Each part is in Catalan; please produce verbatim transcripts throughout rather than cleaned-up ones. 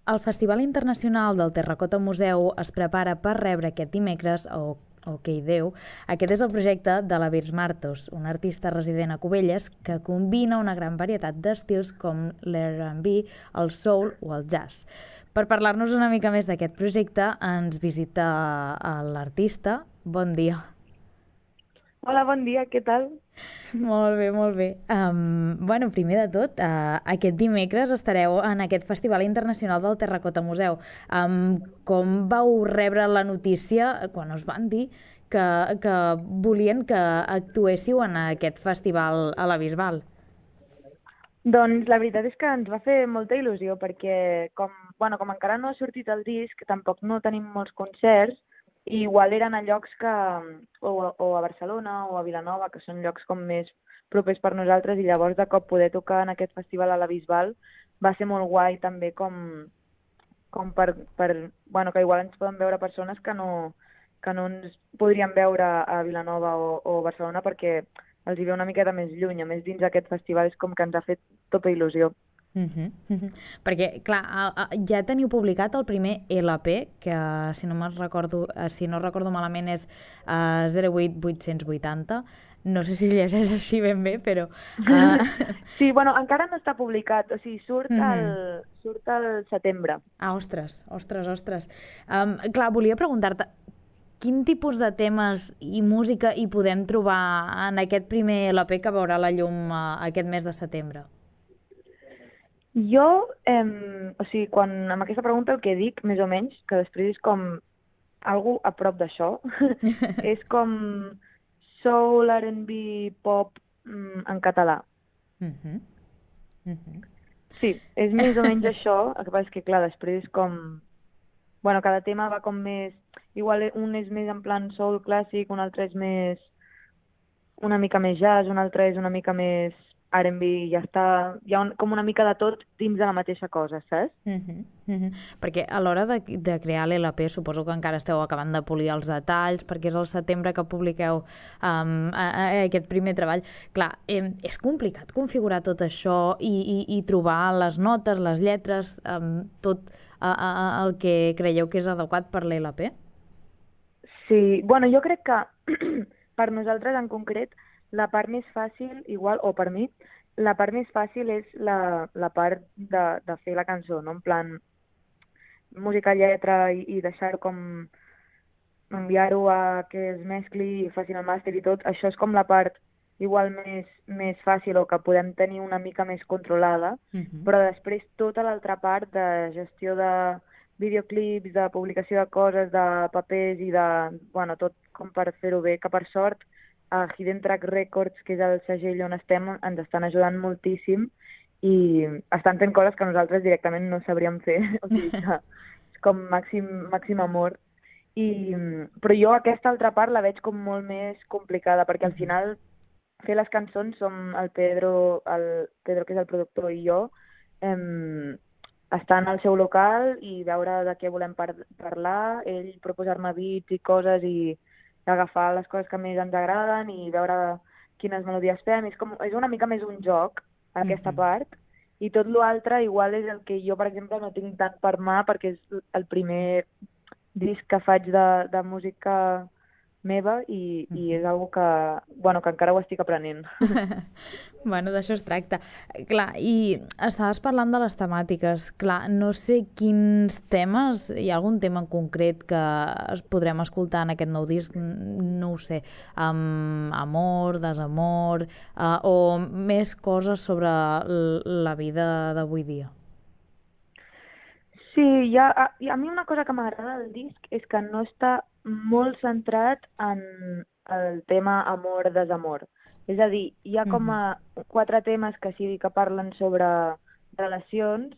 El Festival Internacional del Terracota Museu es prepara per rebre aquest dimecres, o Ok Déu. Aquest és el projecte de la Virs Martos, una artista resident a Cubelles que combina una gran varietat d'estils com l'R and B, el soul o el jazz. Per parlar-nos una mica més d'aquest projecte ens visita l'artista. Bon dia. Hola, bon dia, què tal? Molt bé, molt bé. Um, bueno, primer de tot, uh, aquest dimecres estareu en aquest Festival Internacional del Terracota Museu. Um, com vau rebre la notícia quan us van dir que, que volien que actuéssiu en aquest festival a la Bisbal? Doncs la veritat és que ens va fer molta il·lusió perquè com, bueno, com encara no ha sortit el disc, tampoc no tenim molts concerts i igual eren a llocs que, o, o a Barcelona o a Vilanova, que són llocs com més propers per nosaltres i llavors de cop poder tocar en aquest festival a la Bisbal va ser molt guai també com, com per, per, bueno, que igual ens poden veure persones que no, que no ens podrien veure a Vilanova o, o Barcelona perquè els hi ve una miqueta més lluny. A més, dins aquest festival és com que ens ha fet tota il·lusió. Uh -huh, uh -huh. Perquè, clar, a, a, ja teniu publicat el primer L P, que si no, recordo, si no recordo malament és uh, zero vuit vuit vuitanta. No sé si llegeix així ben bé, però... Uh... Sí, bueno, encara no està publicat, o sigui, surt uh -huh. al, surt al setembre. Ah, ostres, ostres, ostres. Um, clar, volia preguntar-te, quin tipus de temes i música hi podem trobar en aquest primer L P que veurà la llum uh, aquest mes de setembre? Jo, eh, o sigui, quan amb aquesta pregunta el que dic, més o menys, que després és com algo a prop d'això, és com soul, R and B, pop mm, en català. Uh -huh. Uh -huh. Sí, és més o menys això, el que passa és que, clar, després és com... Bueno, cada tema va com més... Igual un és més en plan soul clàssic, un altre és més... una mica més jazz, un altre és una mica més R and B, i ja està... Hi ha un, com una mica de tot dins de la mateixa cosa, saps? Uh -huh, uh -huh. Perquè a l'hora de, de crear l'L P suposo que encara esteu acabant de polir els detalls perquè és el setembre que publiqueu um, a, a aquest primer treball. Clar, eh, és complicat configurar tot això i, i, i trobar les notes, les lletres, um, tot a, a, a, el que creieu que és adequat per l'L P? Sí, bueno, jo crec que per nosaltres en concret la part més fàcil, igual, o per mi, la part més fàcil és la, la part de, de fer la cançó, no? En plan, música, lletra i, i deixar com enviar-ho a que es mescli i facin el màster i tot, això és com la part igual més, més fàcil o que podem tenir una mica més controlada, Uh -huh. però després tota l'altra part de gestió de videoclips, de publicació de coses, de papers i de, bueno, tot com per fer-ho bé, que per sort a Hidden Track Records, que és el segell on estem, ens estan ajudant moltíssim i estan fent coses que nosaltres directament no sabríem fer, o sigui que és com màxim, màxim amor. I, però jo aquesta altra part la veig com molt més complicada, perquè Uh al -huh. final fer les cançons som el Pedro, el Pedro que és el productor i jo, em, estar en el seu local i veure de què volem par parlar, ell proposar-me beats i coses i agafar les coses que més ens agraden i veure quines melodies fem. És, com, és una mica més un joc, Uh aquesta -huh. part, i tot l'altre igual és el que jo, per exemple, no tinc tant per mà perquè és el primer disc que faig de, de música meva i, Uh i -huh. és algo que, bueno, que encara ho estic aprenent. Bueno, d'això es tracta. Clar, i estaves parlant de les temàtiques. Clar, no sé quins temes, hi ha algun tema en concret que es podrem escoltar en aquest nou disc, no ho sé, um, amor, desamor, uh, o més coses sobre la vida d'avui dia. Sí, hi ha, a, i a mi una cosa que m'agrada del disc és que no està molt centrat en el tema amor-desamor. És a dir, hi ha Uh com -huh. a quatre temes que sí que parlen sobre relacions,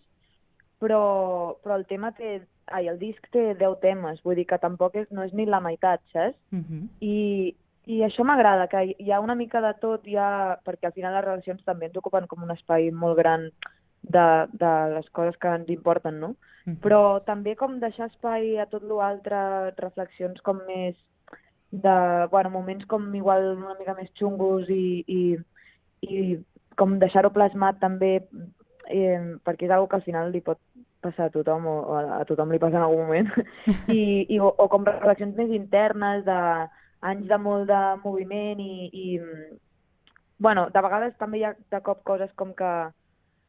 però, però el tema té... Ai, el disc té deu temes, vull dir que tampoc és, no és ni la meitat, saps? Uh -huh. I, i això m'agrada, que hi ha una mica de tot, ja, perquè al final les relacions també ens ocupen com un espai molt gran de, de les coses que ens importen, no? Uh -huh. Però també com deixar espai a tot l'altre, reflexions com més de, bueno, moments com igual una mica més xungos i, i, i com deixar-ho plasmat també eh, perquè és una que al final li pot passar a tothom, o a, a tothom li passa en algun moment, I, i, o, o com reflexions més internes d'anys de molt de moviment i, i, bueno, de vegades també hi ha de cop coses com que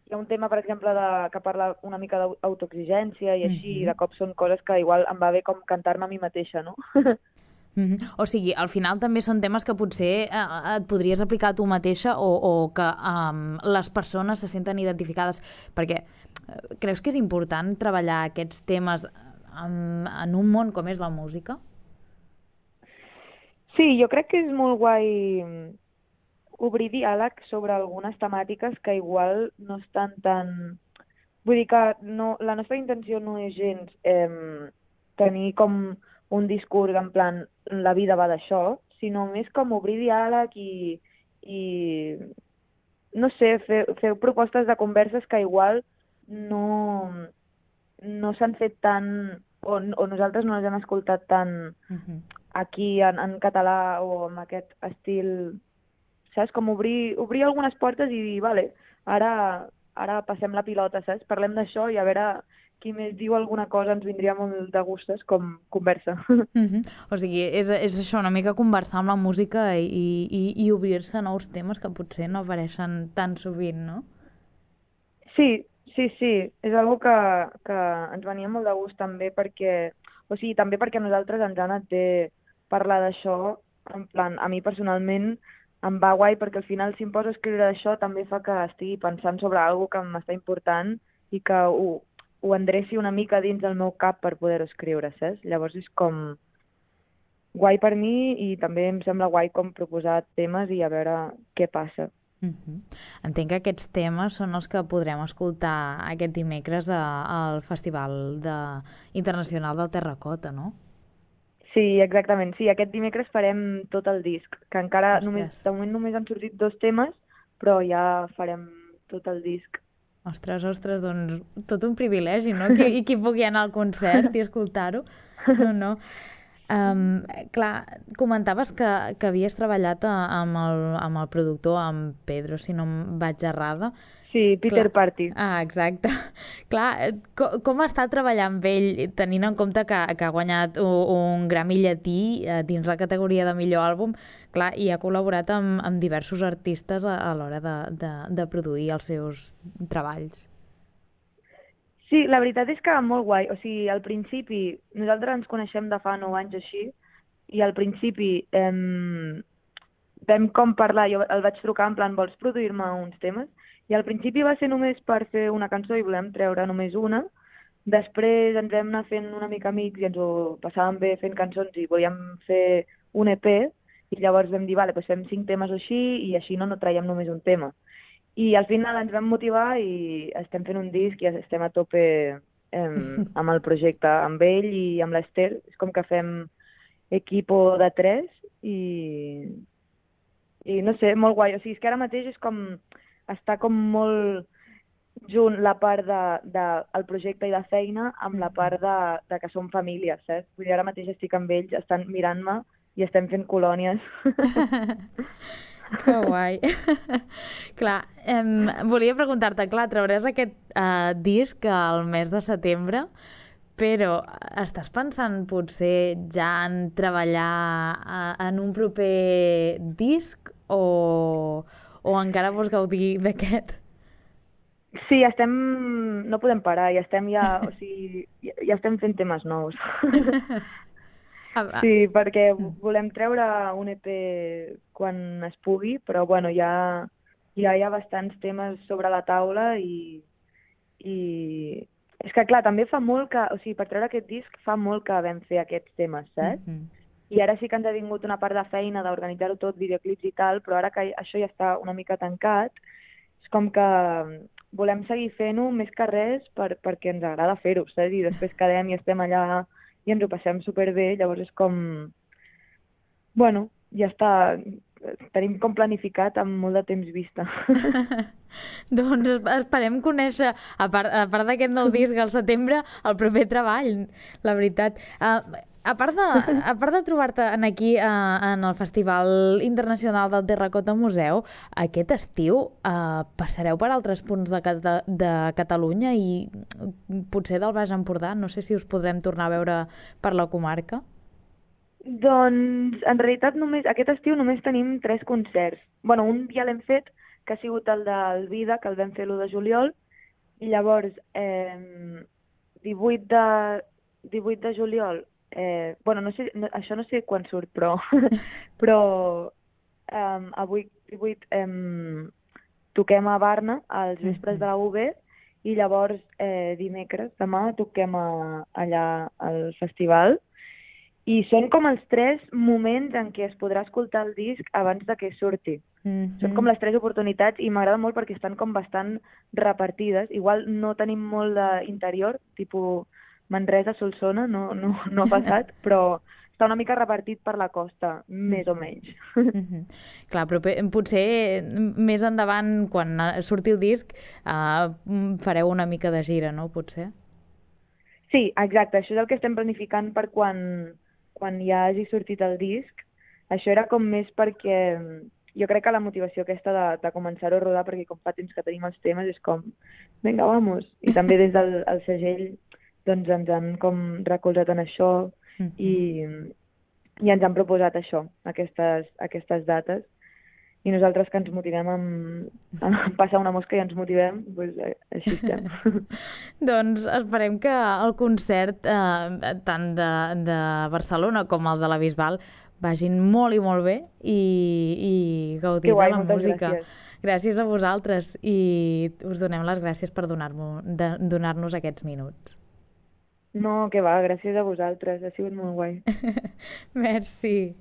hi ha un tema, per exemple, de, que parla una mica d'autoexigència i així, Mhm. i de cop són coses que igual em va bé com cantar-me a mi mateixa, no? Mhm. O sigui, al final també són temes que potser eh, et podries aplicar a tu mateixa o, o que um, les persones se senten identificades, perquè eh, creus que és important treballar aquests temes en, en un món com és la música? Sí, jo crec que és molt guai mm, obrir diàleg sobre algunes temàtiques que igual no estan tan... Vull dir que no, la nostra intenció no és gens eh, tenir com un discurs en plan la vida va d'això, sinó més com obrir diàleg i, i no sé, fer, fer propostes de converses que igual no, no s'han fet tant o, o nosaltres no les hem escoltat tant Mhm. aquí en, en català o amb aquest estil, saps? Com obrir, obrir algunes portes i dir, vale, ara, ara passem la pilota, saps? Parlem d'això i a veure qui més diu alguna cosa ens vindria molt de gustes com conversa. Mhm. O sigui, és, és això, una mica conversar amb la música i, i, i obrir-se a nous temes que potser no apareixen tan sovint, no? Sí, sí, sí, és algo que, que ens venia molt de gust també perquè, o sigui, també perquè a nosaltres ens ha anat bé parlar d'això, en plan, a mi personalment em va guai perquè al final si em poso a escriure d'això també fa que estigui pensant sobre algo que m'està important i que ho, ho endreci una mica dins del meu cap per poder-ho escriure, saps? Llavors és com guai per mi i també em sembla guai com proposar temes i a veure què passa. Mhm. Entenc que aquests temes són els que podrem escoltar aquest dimecres a, al Festival de, Internacional del Terracota, no? Sí, exactament. Sí, aquest dimecres farem tot el disc, que encara només, Ostres, de moment només han sortit dos temes, però ja farem tot el disc. ostres, ostres, doncs tot un privilegi, no? Qui, I qui pugui anar al concert i escoltar-ho. No, no. Um, clar, comentaves que, que havies treballat a, amb, el, amb el productor, amb Pedro, si no em vaig errada. Sí, Clar. Peter Party. Ah, exacte. Clar, eh, com, com està treballar amb ell, tenint en compte que, que ha guanyat un, un Grammy llatí eh, dins la categoria de millor àlbum, clar, i ha col·laborat amb, amb diversos artistes a, a l'hora de, de, de produir els seus treballs. Sí, la veritat és que molt guai. O sigui, al principi, nosaltres ens coneixem de fa nou anys així, i al principi em, vam com parlar, jo el vaig trucar en plan, vols produir-me uns temes? I al principi va ser només per fer una cançó i volem treure només una. Després ens vam anar fent una mica amics i ens ho passàvem bé fent cançons i volíem fer un E P i llavors vam dir, vale, doncs fem cinc temes o així i així no, no traiem només un tema. I al final ens vam motivar i estem fent un disc i estem a tope em, amb el projecte, amb ell i amb l'Ester. És com que fem equipo de tres i, i no sé, molt guai. O sigui, és que ara mateix és com està com molt junt la part de, de el projecte i de feina amb la part de, de que som família, saps? Vull dir, ara mateix estic amb ells, estan mirant-me i estem fent colònies. Que guai. Clar, em, volia preguntar-te, clar, trauràs aquest eh, disc al mes de setembre, però estàs pensant potser ja en treballar eh, en un proper disc o, o encara vols gaudir d'aquest? Sí, estem... no podem parar, ja estem ja... O sigui, ja, ja estem fent temes nous. Ah, ah, Sí, perquè mm. volem treure un E P quan es pugui, però bueno, ja, ja hi ha bastants temes sobre la taula i, i és que clar, també fa molt que, o sigui, per treure aquest disc fa molt que vam fer aquests temes, saps? Mhm. I ara sí que ens ha vingut una part de feina d'organitzar-ho tot, videoclips i tal, però ara que això ja està una mica tancat, és com que volem seguir fent-ho més que res per, perquè ens agrada fer-ho, saps? I després quedem i estem allà i ens ho passem superbé, llavors és com... Bueno, ja està, tenim com planificat amb molt de temps vista. Doncs es- esperem conèixer, a part, a part d'aquest nou disc al setembre, el proper treball, la veritat. Uh, A part de, a part de trobar-te en aquí eh, en el Festival Internacional del Terracota Museu, aquest estiu eh, passareu per altres punts de, Cata de Catalunya i potser del Baix Empordà. No sé si us podrem tornar a veure per la comarca. Doncs, en realitat, només aquest estiu només tenim tres concerts. Bueno, un ja l'hem fet, que ha sigut el del Vida, que el vam fer l'u de juliol, i llavors, eh, divuit de, divuit de juliol, eh, bueno, no sé, no, això no sé quan surt, però, però eh, avui, divuit, eh, toquem a Barna, als vespres de la U B, i llavors eh, dimecres, demà, toquem a, allà al festival. I són com els tres moments en què es podrà escoltar el disc abans de que surti. Mm-hmm. Són com les tres oportunitats i m'agrada molt perquè estan com bastant repartides. Igual no tenim molt d'interior, tipus Manresa, Solsona, no, no, no ha passat, però està una mica repartit per la costa, més o menys. Mm-hmm. Clar, però potser més endavant, quan surti el disc, uh, fareu una mica de gira, no? Potser? Sí, exacte. Això és el que estem planificant per quan... quan ja hagi sortit el disc. Això era com més perquè jo crec que la motivació aquesta de, de començar-ho a rodar, perquè com fa temps que tenim els temes, és com, vinga, vamos. I també des del el segell doncs ens han com recolzat en això mm-hmm. i, i ens han proposat això, aquestes, aquestes dates. I nosaltres que ens motivem amb, amb passar una mosca i ens motivem, doncs així estem. Doncs esperem que el concert, eh, tant de, de Barcelona com el de la Bisbal, vagin molt i molt bé i, i gaudir guai, de la música. Gràcies. Gràcies a vosaltres i us donem les gràcies per donar-nos donar aquests minuts. No, que va, gràcies a vosaltres, ha sigut molt guai. Merci.